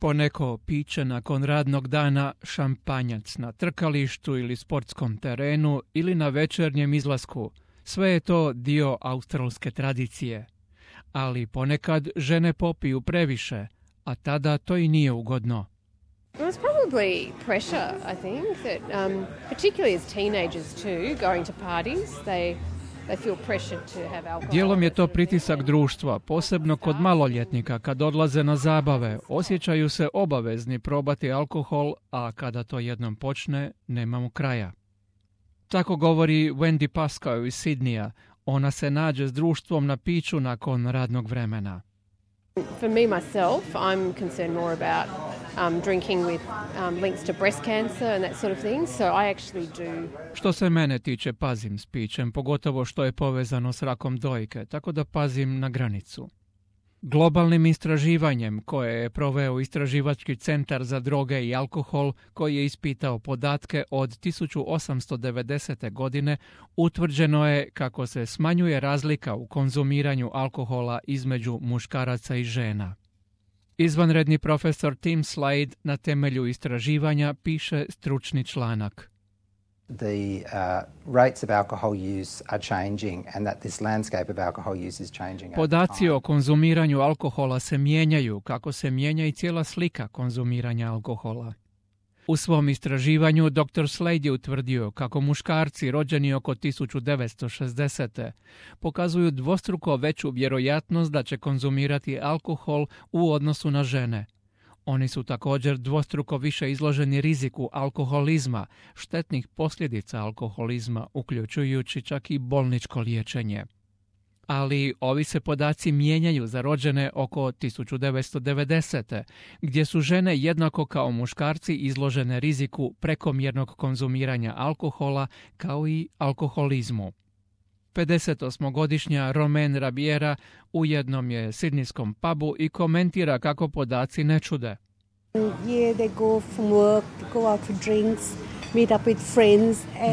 poneko piće nakon radnog dana, šampanjac na trkalištu ili sportskom terenu ili na večernjem izlasku. Sve je to dio australske tradicije. Ali ponekad žene popiju previše, a tada to i nije ugodno. It was probably pressure, I think, that particularly as teenagers too, going to parties, they feel pressured to have alcohol. Dijelom je to pritisak društva, posebno kod maloljetnika kad odlaze na zabave. Osjećaju se obavezni probati alkohol, a kada to jednom počne, nema mu kraja. Tako govori Wendy Pascoe iz Sidneya. Ona se nađe s društvom na piću nakon radnog vremena. For me myself, I'm concerned more about drinking with links to breast cancer and that sort of thing, so I actually do. Što se mene tiče, pazim s pićem, pogotovo što je povezano s rakom dojke, tako da pazim na granicu. Globalnim istraživanjem koje je proveo Istraživački centar za droge i alkohol, koji je ispitao podatke od 1890. godine, utvrđeno je kako se smanjuje razlika u konzumiranju alkohola između muškaraca i žena. Izvanredni profesor Tim Slade na temelju istraživanja piše stručni članak. The rates of alcohol use are changing and that this landscape of alcohol use is changing. Podaci o konzumiranju alkohola se mijenjaju, kako se mijenja i cijela slika konzumiranja alkohola. U svom istraživanju dr. Slade je utvrdio kako muškarci rođeni oko 1960. pokazuju dvostruko veću vjerojatnost da će konzumirati alkohol u odnosu na žene. Oni su također dvostruko više izloženi riziku alkoholizma, štetnih posljedica alkoholizma, uključujući čak i bolničko liječenje. Ali ovi se podaci mijenjaju za rođene oko 1990. gdje su žene jednako kao muškarci izložene riziku prekomjernog konzumiranja alkohola kao i alkoholizmu. 58-godišnja Romaine Rabiera u jednom je sidnijskom pubu i komentira kako podaci ne čude.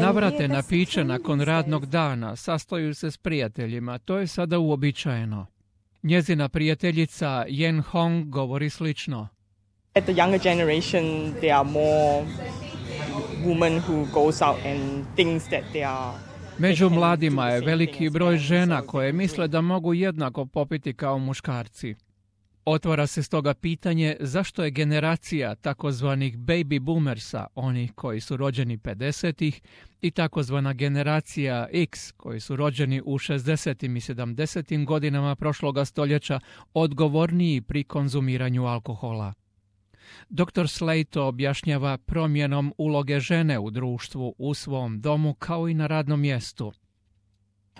Navrate na piće nakon radnog dana, sastaju se s prijateljima, to je sada uobičajeno. Njezina prijateljica Yen Hong govori slično. At the younger generation there are more women who goes out and thinks that they are. Među mladima je veliki broj žena koje misle da mogu jednako popiti kao muškarci. Otvara se stoga pitanje zašto je generacija takozvanih baby boomersa, onih koji su rođeni 50-ih, i takozvana generacija X, koji su rođeni u 60. i 70. godinama prošloga stoljeća, odgovorniji pri konzumiranju alkohola. Dr. Slade to objašnjava promjenom uloge žene u društvu, u svom domu kao i na radnom mjestu.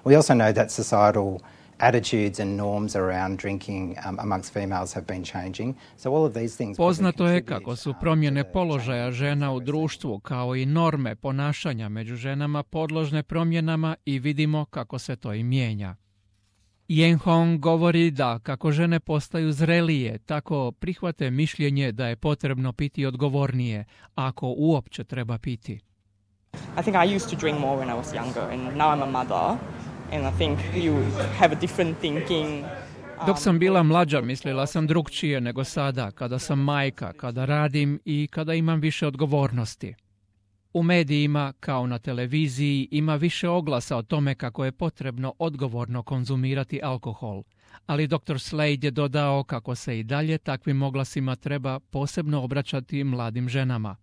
We also know that societal attitudes and norms around drinking amongst females have been changing. So all of these things. Poznato je kako su promjene položaja žena u društvu kao i norme ponašanja među ženama podložne promjenama i vidimo kako se to i mijenja. Yen Hong govori da kako žene postaju zrelije, tako prihvate mišljenje da je potrebno piti odgovornije, ako uopće treba piti. I think I used to drink more when I was younger and now I'm a mother and I think you have a different thinking. Dok sam bila mlađa, mislila sam drukčije nego sada, kada sam majka, kada radim i kada imam više odgovornosti. U medijima, kao na televiziji, ima više oglasa o tome kako je potrebno odgovorno konzumirati alkohol, ali dr. Slade je dodao kako se i dalje takvim oglasima treba posebno obraćati mladim ženama.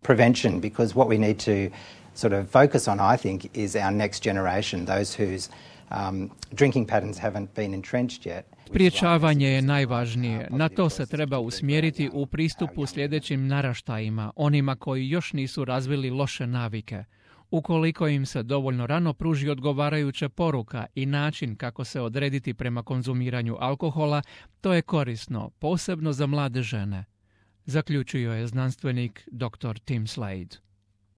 Prevention, because what we need to sort of focus on, I think, is our next generation, those whose drinking patterns haven't been entrenched yet. Spriječavanje je najvažnije. Na to se treba usmjeriti u pristupu sljedećim naraštajima, onima koji još nisu razvili loše navike. Ukoliko im se dovoljno rano pruži odgovarajuća poruka i način kako se odrediti prema konzumiranju alkohola, to je korisno, posebno za mlade žene, zaključio je znanstvenik dr. Tim Slade.